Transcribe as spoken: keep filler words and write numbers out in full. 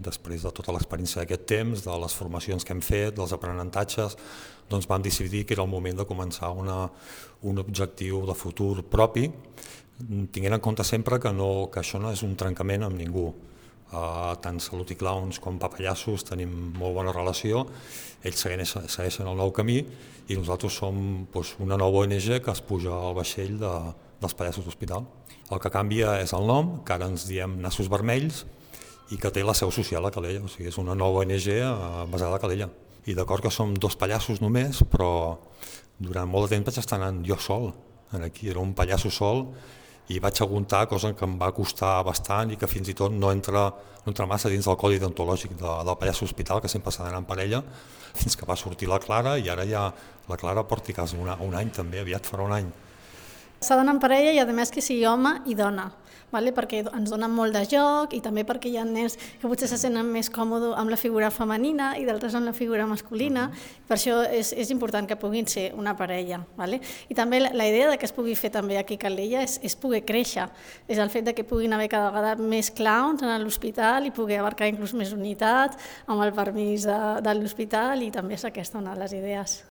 després de tota l'experiència d'aquest temps, de les formacions que hem fet, dels aprenentatges, doncs vam decidir que era el moment de començar una, un objectiu de futur propi, tinguent en compte sempre que, no, que això no és un trencament amb ningú. Uh, tant Salut i Clowns com Papallassos tenim molt bona relació, ells segueixen, segueixen el nou camí i nosaltres som doncs, una nova O N G que es puja al vaixell de, dels Pallassos d'Hospital. El que canvia és el nom, que ara ens diem Nassos Vermells, i que té la seu social a Calella, o sigui, és una nova O N G basada a Calella. I d'acord que som dos pallassos només, però durant molt de temps vaig estar anant jo sol, aquí era un pallasso sol, i vaig aguntar, cosa que em va costar bastant i que fins i tot no entra, no entra massa dins del codi deontològic de, del pallasso hospital, que sempre s'ha d'anar en parella, fins que va sortir la Clara, i ara ja la Clara porti quasi un, un any també, aviat farà un any. S'ha d'anar en parella i a més que sigui home i dona, vale? Perquè ens donen molt de joc i també perquè hi ha nens que potser se senten més còmodes amb la figura femenina i d'altres amb la figura masculina, per això és, és important que puguin ser una parella. Vale? I també la, la idea de que es pugui fer també aquí a Calella és, és poder créixer, és el fet de que puguin haver cada vegada més clowns a l'hospital i poder abarcar inclús més unitats amb el permís de, de l'hospital, i també és aquesta una de les idees.